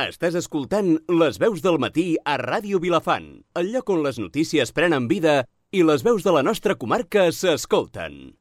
Estàs escoltant Les veus del matí a Ràdio Vilafant, el lloc on les notícies prenen vida i les veus de la nostra comarca s'escolten.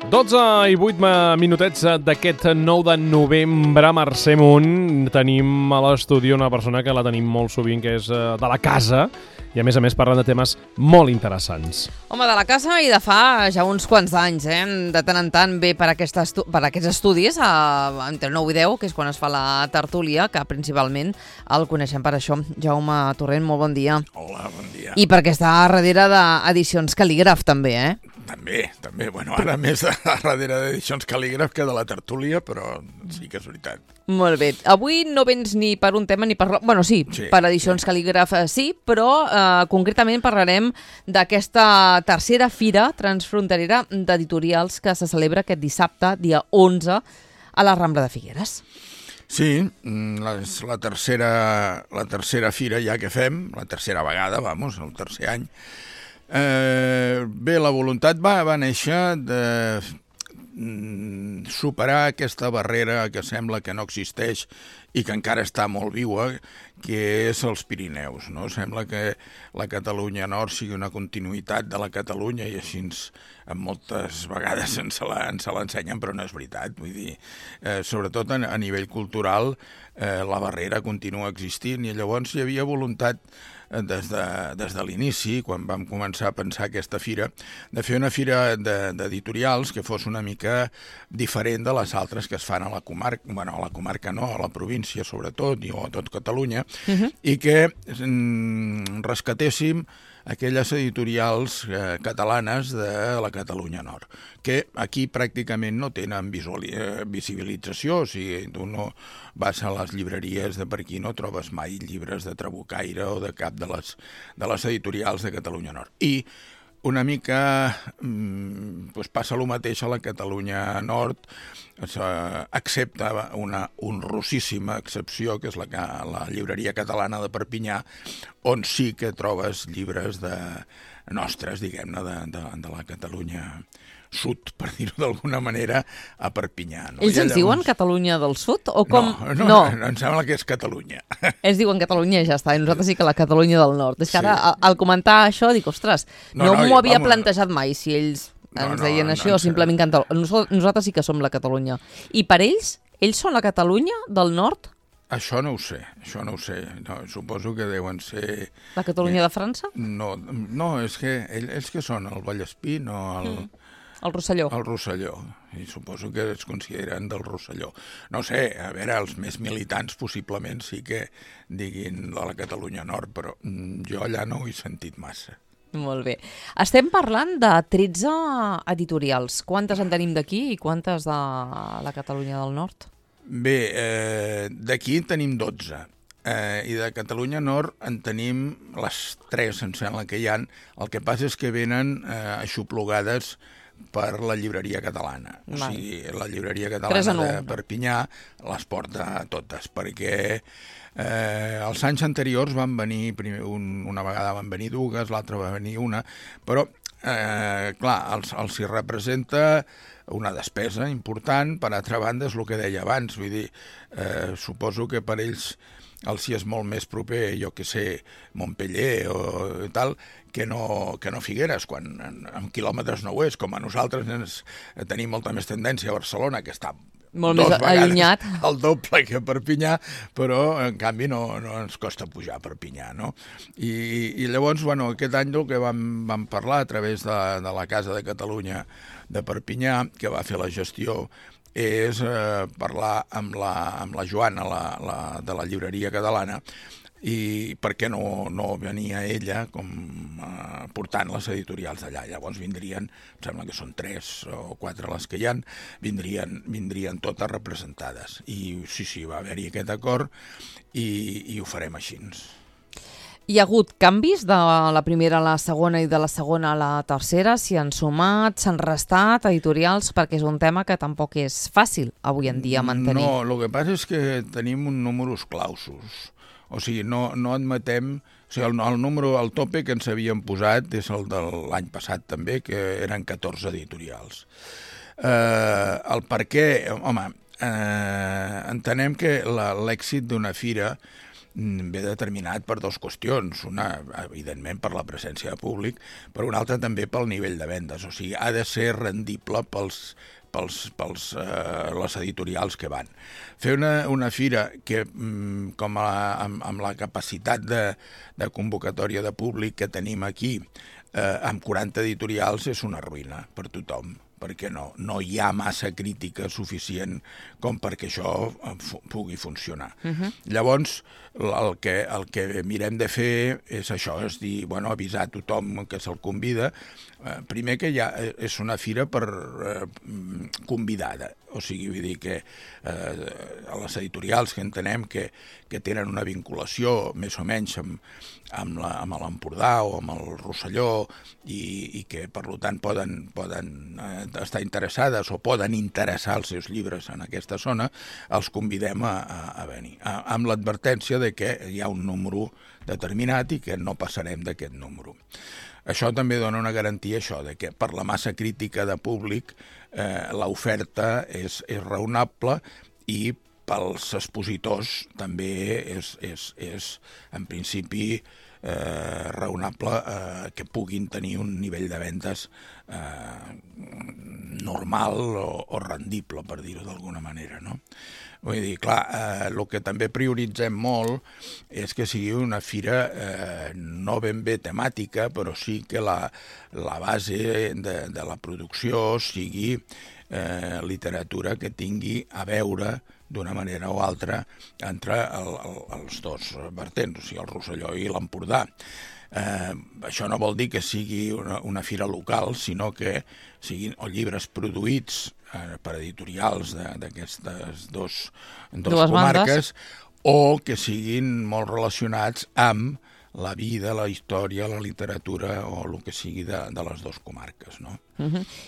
12 i 8 minutets d'aquest 9 de novembre, Mercè Munt. Tenim a l'estudi una persona que la tenim molt sovint, que és de la casa, i a més parlen de temes molt interessants. Home, de la casa i de fa ja uns quants anys, De tant en tant ve per aquests estudis, entre 9 i 10, que és quan es fa la tertúlia, que principalment el coneixem per això. Jaume Torrent, molt bon dia. Hola, bon dia. I perquè està darrere d'Edicions Cal·lígraf, també, També. Bueno, ara més darrere d'Edicions Cal·lígraf que de la tertúlia, però sí que és veritat. Molt bé. Avui no vens ni per un tema ni per... Bueno, sí, per Edicions Cal·lígraf sí, però concretament parlarem d'aquesta tercera fira transfronterera d'editorials que se celebra aquest dissabte, dia 11, a la Rambla de Figueres. Sí, és la tercera fira ja que fem, la tercera vegada, el tercer any. Bé, la voluntat va néixer de superar aquesta barrera que sembla que no existeix i que encara està molt viua, que és els Pirineus, no? Sembla que la Catalunya Nord sigui una continuïtat de la Catalunya i així moltes vegades ens l'ensenyen, però no és veritat. Vull dir, sobretot a nivell cultural, la barrera continua existint i llavors hi havia voluntat des de l'inici, quan vam començar a pensar aquesta fira, de fer una fira d'editorials que fos una mica diferent de les altres que es fan a la comarca, bueno, a la comarca no, a la província sobretot, o a tot Catalunya, i que rescatéssim aquelles editorials catalanes de la Catalunya Nord, que aquí pràcticament no tenen visibilització. O sigui, tu no vas a les llibreries de per aquí, no trobes mai llibres de Trabucaire o de cap de les editorials de Catalunya Nord. I una mica passa el mateix a la Catalunya Nord, excepte una honrosíssima excepció, que és la llibreria catalana de Perpinyà, on sí que trobes llibres nostres, diguem-ne, de la Catalunya Sud, per dir-ho d'alguna manera, a Perpinyà. No? Ells ens diuen Catalunya del Sud? O com? No, em sembla que és Catalunya. Ells diuen Catalunya i ja està, i nosaltres sí que la Catalunya del Nord. És que ara, al comentar això, dic, ostres, no m'ho havia plantejat mai, si ells ens deien això, o simplement nosaltres sí que som la Catalunya. I per ells són la Catalunya del Nord? Això no ho sé. No, suposo que deuen ser... La Catalunya de França? No, és que ells que són el Vallespí, no el Rosselló. El Rosselló, i suposo que es consideren del Rosselló. No sé, a veure, els més militants possiblement sí que diguin de la Catalunya Nord, però jo allà no ho he sentit massa. Molt bé. Estem parlant de 13 editorials. Quantes en tenim d'aquí i quantes de la Catalunya del Nord? Bé, d'aquí en tenim 12. I de Catalunya Nord en tenim les 3, em sembla que hi ha. El que passa és que venen aixoplugades per la llibreria catalana. O sigui, la llibreria catalana de Perpinyà les porta totes, perquè els anys anteriors van venir, una vegada van venir dues, l'altra va venir una, però, clar, els hi representa una despesa important. Per altra banda, és el que deia abans, vull dir, suposo que per ells els hi és molt més proper, jo que sé, Montpeller o tal, que no Figueres, quan en quilòmetres no ho és, com a nosaltres tenim molta més tendència a Barcelona, que està molt més allunyat, el doble que Perpinyà, però en canvi no ens costa pujar a Perpinyà, no? I llavors, bueno, aquest any el que vam parlar a través de la Casa de Catalunya de Perpinyà, que va fer la gestió, és parlar amb la Joana, de la llibreria catalana, i per què no venia ella portant les editorials d'allà. Llavors vindrien, em sembla que són 3 o 4 les que hi ha, vindrien totes representades. I sí, va haver-hi aquest acord i ho farem així. Hi ha hagut canvis de la primera a la segona i de la segona a la tercera? S'hi han sumat, s'han restat editorials? Perquè és un tema que tampoc és fàcil avui en dia mantenir. No, el que passa és que tenim un números clausos. O sigui, no admetem... O sigui, el número, el tope que ens havíem posat és el de l'any passat també, que eren 14 editorials. El per què... Home, entenem que l'èxit d'una fira ve determinat per dues qüestions. Una, evidentment, per la presència de públic, però una altra també pel nivell de vendes. O sigui, ha de ser rendible pels les editorials que van. Fer una fira que, amb la capacitat de convocatòria de públic que tenim aquí, amb 40 editorials, és una ruïna per tothom, perquè no hi ha massa crítica suficient com perquè això pugui funcionar. Llavors, el que mirem de fer és això, és dir, avisar a tothom que se'l convida. Primer que ja és una fira convidada, o sigui, vull dir que les editorials que entenem que tenen una vinculació més o menys amb l'Empordà o amb el Rosselló i que, per tant, poden estar interessades o poden interessar els seus llibres en aquesta zona, els convidem a venir, amb l'advertència de que hi ha un número determinat i que no passarem d'aquest número. Això també dona una garantia, això, de que per la massa crítica de públic l'oferta és raonable i pels expositors també és en principi raonable que puguin tenir un nivell de vendes normal o rendible, per dir-ho d'alguna manera, no? Vull dir, clar, el que també prioritzem molt és que sigui una fira no ben bé temàtica, però sí que la base de la producció sigui literatura que tingui a veure d'una manera o altra entre els dos vertents, o sigui, el Rosselló i l'Empordà. Això no vol dir que sigui una fira local, sinó que siguin o llibres produïts per editorials d'aquestes dues comarques, o que siguin molt relacionats amb la vida, la història, la literatura o el que sigui de les dues comarques, no?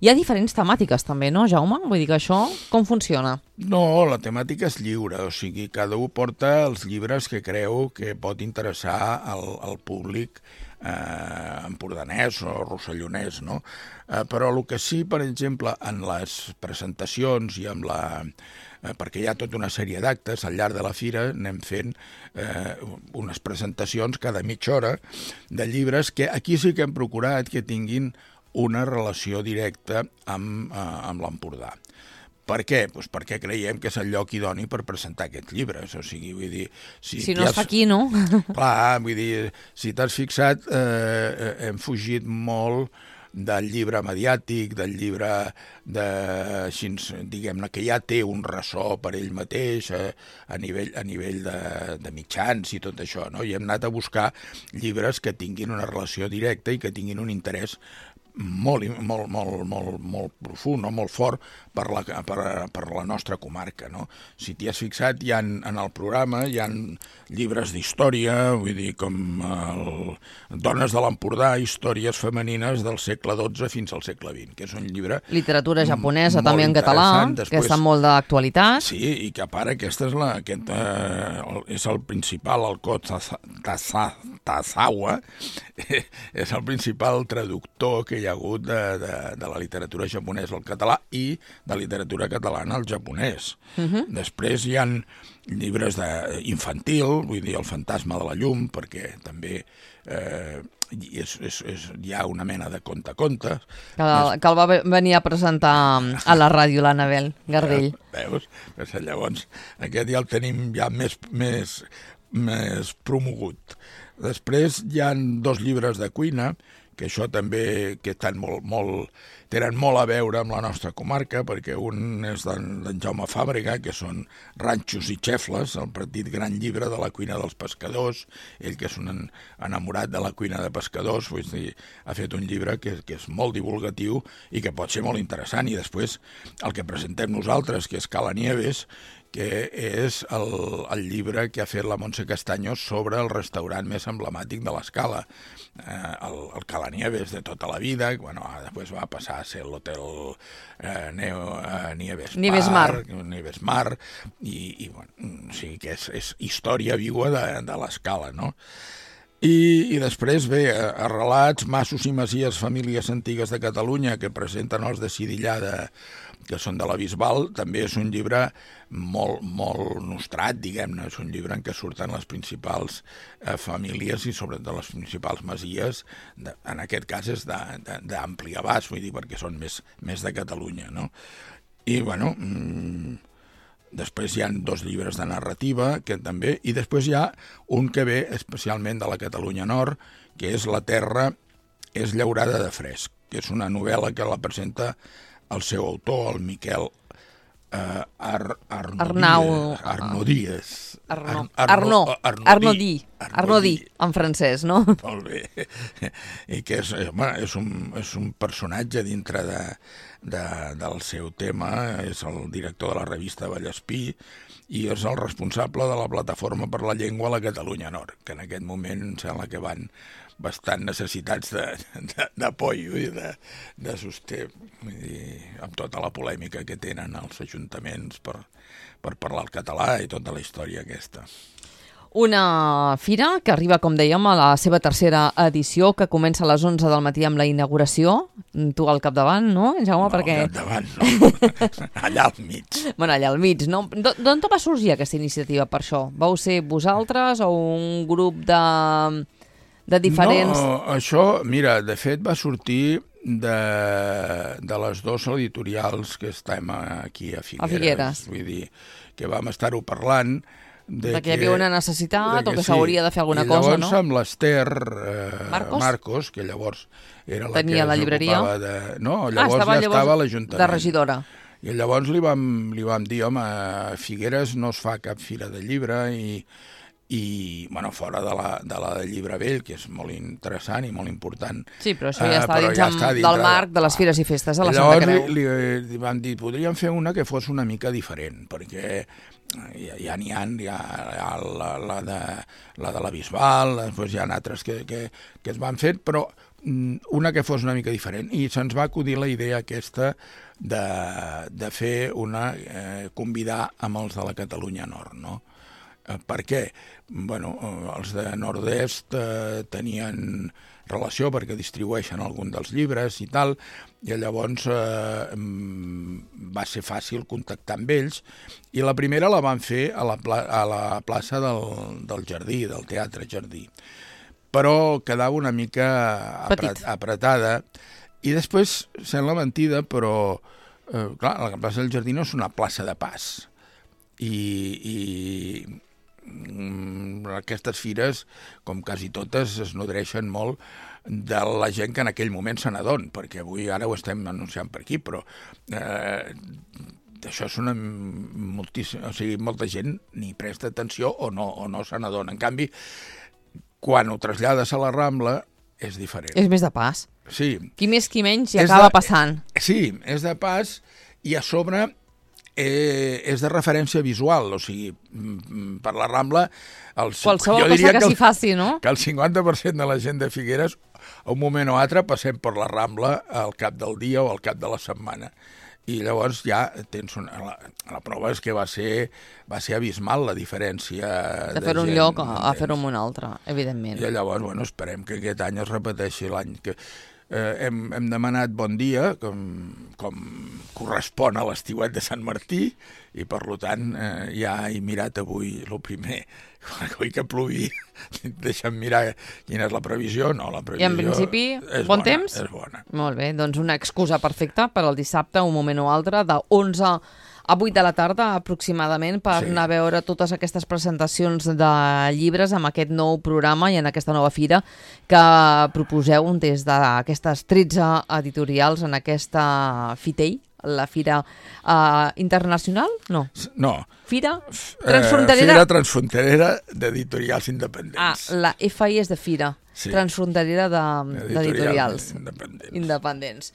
Hi ha diferents temàtiques també, no, Jaume? Vull dir que això com funciona? No, la temàtica és lliure, o sigui, cada un porta els llibres que creu que pot interessar al públic empordanès o rossellonès, no? Però el que sí, per exemple, en les presentacions i amb perquè hi ha tota una sèrie d'actes al llarg de la fira, anem fent unes presentacions cada mitja hora de llibres que aquí sí que hem procurat que tinguin una relació directa amb l'Empordà. Per què? Doncs perquè creiem que és el lloc idoni per presentar aquests llibres. O sigui, vull dir... Si no es fa aquí, no? Clar, vull dir, si t'has fixat, hem fugit molt del llibre mediàtic, del llibre diguem-ne, que ja té un ressò per ell mateix a nivell de mitjans i tot això, no? I hem anat a buscar llibres que tinguin una relació directa i que tinguin un interès molt profund, no? Molt fort per la nostra comarca, no? Si t'hi has fixat, en el programa hi ha llibres d'història, vull dir, com Dones de l'Empordà, històries femenines del segle XII fins al segle XX, que és un llibre... Literatura japonesa també en català, que està molt d'actualitat. Sí, i que a part aquest és el principal, el Ko Tazawa, és el principal traductor que hi ha hagut de la literatura japonesa al català i de literatura catalana al japonès. Després hi ha llibres infantil, vull dir, El fantasma de la llum, perquè també hi ha una mena de conte-contes. Que el va venir a presentar a la ràdio, l'Anabel Gardell. Veus? Llavors, aquest ja el tenim ja més promogut. Després hi ha 2 llibres de cuina, que això també tenen molt a veure amb la nostra comarca, perquè un és d'en Jaume Fàbrega, que són Ranxos i xefles, el petit gran llibre de la cuina dels pescadors. Ell, que és un enamorat de la cuina de pescadors, ha fet un llibre que és molt divulgatiu i que pot ser molt interessant. I després el que presentem nosaltres, que és Cala Nieves, que és el llibre que ha fet la Montse Castaños sobre el restaurant més emblemàtic de l'Escala, el Cala Nieves de tota la vida. Després va passar a ser l'hotel Nieves Mar, i o sigui que és història viua de l'Escala, no? I després ve Arrelats, Massos i Masies, famílies antigues de Catalunya, que presenten els de Cidillà que són de la Bisbal. També és un llibre molt nostrat, diguem-ne. És un llibre en què surten les principals famílies i sobretot les principals masies. En aquest cas és d'ampli abast, vull dir, perquè són més de Catalunya, no? I, bueno, després hi ha 2 llibres de narrativa, que també, i després hi ha un que ve especialment de la Catalunya Nord, que és La terra és llaurada de fresc, que és una novel·la que la presenta el seu autor, el Miquel Arnaudí, en francès, no? Molt bé. I que és un personatge dintre del seu tema, és el director de la revista Vallespí i és el responsable de la Plataforma per la Llengua a la Catalunya Nord, que en aquest moment em sembla que van bastant necessitats d'apoyo i de sosté, amb tota la polèmica que tenen els ajuntaments per parlar el català i tota la història aquesta. Una fira que arriba, com dèiem, a la seva 3a edició, que comença a les 11 del matí amb la inauguració. Tu al capdavant, no, Jaume? No, al capdavant no, allà al mig. Bueno, allà al mig, no? D'on va sorgir aquesta iniciativa per això? Vau ser vosaltres o un grup de diferents... No, això, mira, de fet va sortir de les 2 editorials que estem aquí a Figueres. Vull dir, que vam estar-ho parlant que hi havia una necessitat o que s'hauria de fer alguna cosa, no? I llavors amb l'Ester Marcos, que llavors era la tenia la llibreria. No, llavors ja estava a l'Ajuntament. De regidora. I llavors li vam dir, home, a Figueres no es fa cap fira de llibre i bueno, fora de la de Llibre Vell, que és molt interessant i molt important. Sí, però això ja està dins del marc de les fires i festes de la Santa Creu. Llavors li vam dir, podríem fer una que fos una mica diferent, perquè ja n'hi ha la de la Bisbal, després hi ha altres que es van fer, però una que fos una mica diferent. I se'ns va acudir la idea aquesta de fer convidar amb els de la Catalunya Nord, no? Per què? Bueno, els de Nord-est tenien relació perquè distribueixen algun dels llibres i tal, i llavors va ser fàcil contactar amb ells, i la primera la van fer a la plaça del Jardí, del Teatre Jardí, però quedava una mica apretada, i després, sembla mentida, però clar, la plaça del Jardí no és una plaça de pas, i aquestes fires, com quasi totes, es nodreixen molt de la gent que en aquell moment se n'adon, perquè avui ara ho estem anunciant per aquí, però això és molta gent ni presta atenció o no se n'adona. En canvi, quan ho trasllades a la Rambla, és diferent. És més de pas. Sí. Qui més qui menys hi acaba passant. Sí, és de pas i a sobre és de referència visual, o sigui, per la Rambla... Qualsevol cosa que s'hi faci, no? Que el 50% de la gent de Figueres, a un moment o altre, passem per la Rambla al cap del dia o al cap de la setmana. I llavors ja tens la prova és que va ser abismal la diferència de fer un lloc a fer-ho en un altre, evidentment. I llavors, bueno, esperem que aquest any es repeteixi l'any que... Hem demanat bon dia, com correspon a l'estiuet de Sant Martí, i per tant ja he mirat avui el primer, avui que plogui, deixa'm mirar quina és la previsió. No, la previsió... I en principi, bon temps? És bona. Molt bé, doncs una excusa perfecta per al dissabte, un moment o altre, de 11 a 8 de la tarda aproximadament, per anar a veure totes aquestes presentacions de llibres amb aquest nou programa i en aquesta nova fira que proposeu des d'aquestes 13 editorials en aquesta FITEI, la Fira Internacional? No. Fira Transfronterera? Fira Transfronterera d'Editorials Independents. La FI és de Fira Transfronterera d'Editorials Independents.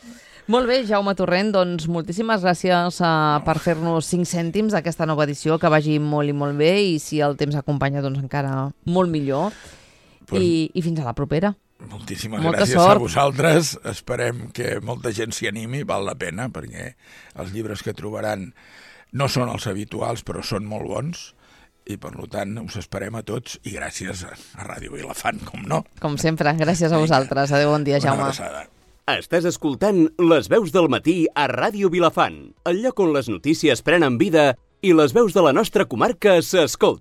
Molt bé, Jaume Torrent, doncs moltíssimes gràcies per fer-nos 5 cèntims d'aquesta nova edició, que vagi molt i molt bé, i si el temps acompanya, doncs encara molt millor. I fins a la propera. Moltíssimes gràcies a vosaltres. Esperem que molta gent s'hi animi, val la pena, perquè els llibres que trobaran no són els habituals, però són molt bons, i per tant us esperem a tots, i gràcies a Ràdio Vilafant, com no. Com sempre, gràcies a vosaltres. Adéu, bon dia, Jaume. Una abraçada. Estàs escoltant Les veus del matí a Ràdio Vilafant, el lloc on les notícies prenen vida i les veus de la nostra comarca s'escolten.